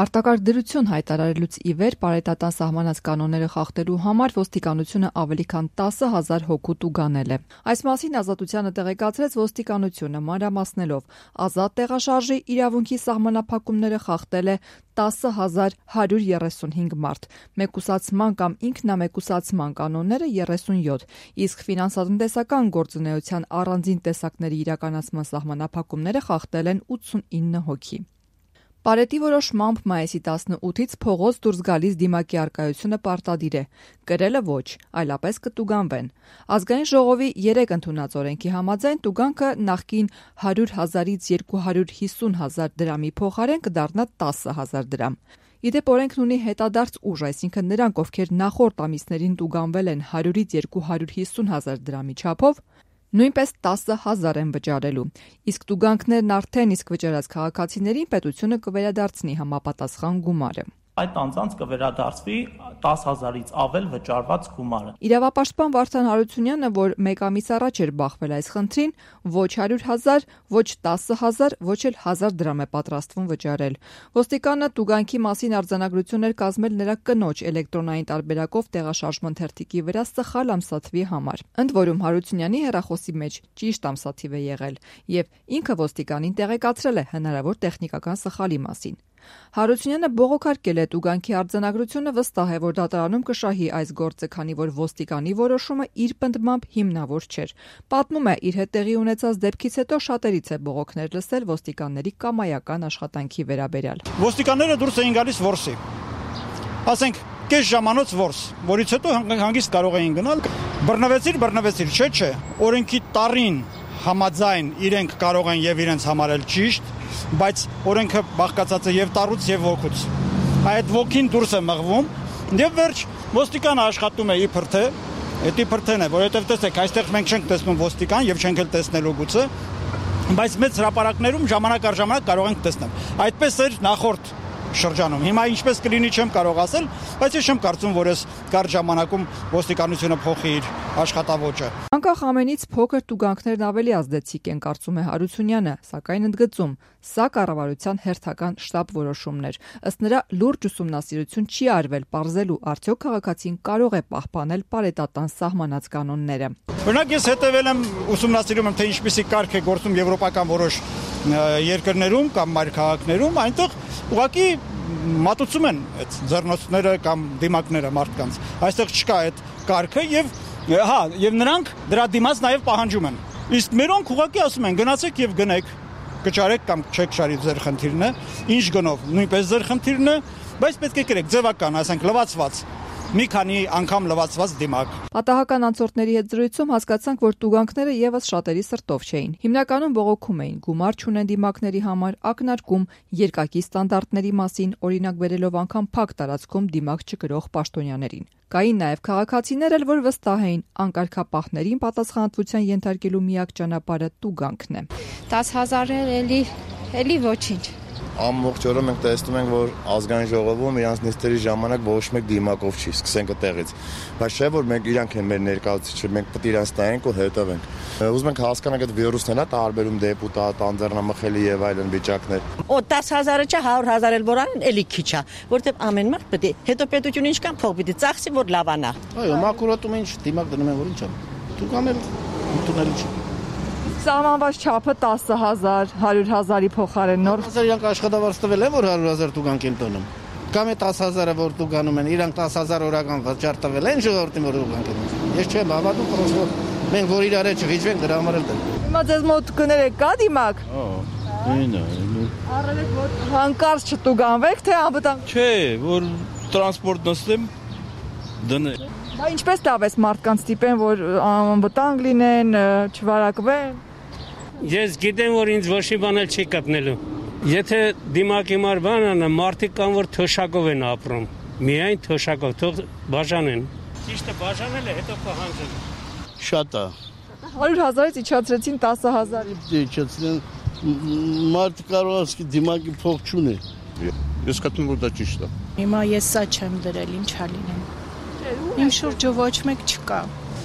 Արտակարգ դրություն հայտարարելուց ի վեր պարետատան սահմանած կանոնները խախտելու համար ոստիկանությունը ավելի քան 10,000 հոգու տուգանել է։ Այս մասին Ազատությանը տեղեկացրեց ոստիկանությունը, մանրամասնելով, ազատ տեղաշարժի իրավունքի սահմանափակումները խախտել է 10,135 մարդ, մեկուսացման կամ ինքնամեկուսացման կանոնները 37, իսկ ֆինանսատնտեսական գործունեության առանձին տեսակների իրականացման սահմանափակումները խախտել են 89 հոգի։ Պարետի որոշմամբ մայիսի 18-ից փողոց դուրս գալիս դիմակի առկայությունը պարտադիր է, կրելը ոչ, այլապես կտուգանվեն։ Ազգային ժողովի 3 ընդունած օրենքի համաձայն տուգանքը նախկին 100,000-ից 250,000 դրամի փոխարեն կդառնա 10,000 դրամ։ Իդեպ օրենքն ունի հետադարձ ուժ, այսինքն նրանք, ովքեր նախորդ ամիսներին տուգանվել են 100-ից 250,000 դրամի չափով, նույնպես 10,000 են վճարելու, իսկ տուգանքներն արդեն իսկ վճարած քաղաքացիներին պետությունը կվերադարձնի համապատասխան գումարը։ Այդ անձանց կվերադարձվի 10,000-ից ավել վճարված գումարը։ Իրավապաշտպան Վարդան Հարությունյանը, որ մեկ ամիս առաջ էր բախվել այս խնդրին, ոչ 100,000, ոչ 10,000, ոչ էլ 1,000 դրամ է պատրաստվում վճարել։ Ոստիկանը տուգանքի մասին արձանագրություն էր կազմել նրա կնոջ էլեկտրոնային տարբերակով տեղաշարժման թերթիկի վրա սխալ ամսաթվի համար։ Ընդ որում Հարությունյանի հեռախոսի մեջ ճիշտ ամսաթիվ է եղել, եւ ինքը ոստիկանին տեղեկացրել է հնարավոր տեխնիկական սխալի մասին։ Հարությունյանը բողոքարկել է տուգանքի արձանագրությունը, վստահ է, որ դատարանում կշահի այս գործը, քանի որ ոստիկանի որոշումը իր պնդմամբ հիմնավոր չէր։ Պատմում է, իր հետ տեղի ունեցած դեպքից հետո շատերից է բողոքներ լսել ոստիկանների կամայական աշխատանքի վերաբերյալ։ Ոստիկանները դուրս էին գալիս որսի։ Ասենք կես ժամանոց որս, որից հետո հանգիստ կարող էին գնալ։ Բռնվեցիր, չէ, օրենքի տարին համաձայն իրենք կարող են եւ իրենց համարել ճիշտ, բայց օրենքը բաղկացած է եւ տառուց եւ ոգուց։ Այդ ոգին դուրս է մղվում եւ վերջ ոստիկանը աշխատում է իբր թե, դա իբրթեն է, որովհետեւ տեսեք, այստեղ մենք չենք տեսնում ոստիկան եւ չենք էլ տեսնելու գուցե, բայց մեծ հրապարակներում ժամանակ առ ժամանակ կարող ենք տեսնել։ Այդպես էր նախորդ շրջանում։ Հիմա ինչպես կլինի չեմ կարող ասել, բայց ես չեմ կարծում, որ այս կարճ ժամանակում ոստիկանությունը փոխի իր աշխատավոճը։ Անկախ ամենից փոքր տուգանքներն ավելի ազդեցիկ են, կարծում է Հարությունյանը, սակայն ընդգծում, սա կառավարության հերթական շտապ որոշումն էր։ Ըստ նրա լուրջ ուսումնասիրություն չի արվել պարզելու արդյոք քաղաքացին կարող է պահպանել պարետատան սահմանած կանոնները։ Օրինակ ես հետևել եմ, ուսումնասիրում եմ, թե ինչպիսի կարգ է գործում եվրոպական որոշ երկրներում կամ մայրքաղաքներում, այնտեղ ուղղակի մատուցում են այդ ձեռնոցները կամ դիմակները մարդկանց։ Այստեղ չկա այդ կարգը եւ նրանք դրա դիմաց նաեւ պահանջում են։ Իսկ մերոնք ուղղակի ասում են գնացեք եւ գնեք, կճարեք կամ չեք ճարի, ձեր խնդիրն է, ինչ գնով, նույնպես ձեր խնդիրն է, բայց պետք է կրեք ձևական, ասենք լվացված։ Մի քանի անգամ լվացված դիմակ։ Պատահական անցորդների հետ զրույցում հասկացանք, որ տուգանքները եւս շատերի սրտով չէին։ Հիմնականում բողոքում էին գումար չունեն դիմակների համար, ակնարկում երկակի ստանդարտների մասին, օրինակ բերելով անգամ փակ տարածքում դիմակ չկրող պաշտոնյաներին։ Կային նաեւ քաղաքացիներ, որ վստահ էին անկարգապահներին պատասխանատվության ենթարկելու միակ ճանապարհը տուգանքն է։ 10,000 էլի ոչինչ։ Ամբողջ օրը մենք տեսնում ենք, որ ազգային ժողովում իրանց նիստերի ժամանակ ոչ մեկ դիմակով չի, սկսենք այդտեղից։ Բայց չէ, որ մենք իրանք են մեր ներկայացուցիչը, մենք պետք է իրանց տայենք ու հետևենք։ Ուզում ենք հասկանանք այդ վիրուսն է, տարբերում դեպուտատ, անձեռնամխելի եւ այլն վիճակներ։ 10,000-ը չէ, 100,000 էլ որան էլի քիչ է, որտեղ ամեն մարդ պետք է հետո պետությունը ինչքան փող պիտի ծախսի, որ լավանա։ Այո, մակուրատում ինչ դիմակ դնում են, որ ինչ է։ Դուք անել ընդունել չի։ Սահմանված չափը 10,000, 100,000-ի փոխարեն նոր 10,000 իրանք աշխատավարձ տվել են, որ 100,000 տուգանք են տոնում։ Կամ է 10,000-ը որ տուգանում են, իրանք 10,000 օրական վճար տվել են ժողովրդին, որ տուգանք են։ Ես չեմ հավատում, պրոստոր մենք որ իրար հետ չվիճվենք, դրա համար էլ դեմ։ Հիմա ձեզ մոտ կներեք կա դիմակ։ Ինա։ Առավեք որ հանկարծ չտուգանվեք, թե անվտանգ։ Չէ, որ տրանսպորտ նստեմ դնել։ Բա ինչպես տավես մարդկանց տիպեն, որ անվտանգ լինեն, չվարակվեն։ Ես գիտեմ, որ ինձ ոչ մի բան էլ չի կապնելու։ Եթե դիմակի մար բան անա, մարդիկ կան, որ թոշակով են ապրում։ Միայն թոշակով, թող բաժանեն։ Ճիշտը բաժանել է, հետո պահանջել։ Շատ է։ 100,000-ից իջացրեցին 10,000-ի։ Իջացրին մարդ կարող ասի դիմակի փող չունի։ Ես կտնում որ դա ճիշտ է։ Հիմա ես սա չեմ դրել, ինչա լինեմ։ Իմ շուրջը ոչ մեկ չկա։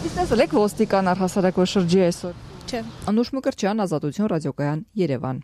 Իսկ տեսել եք ոստիկան առհասարակ որ շրջի այսօր։ Չէ։ Անուշ Մկրտչյան, Ազատություն ռադիոկայան, Երևան։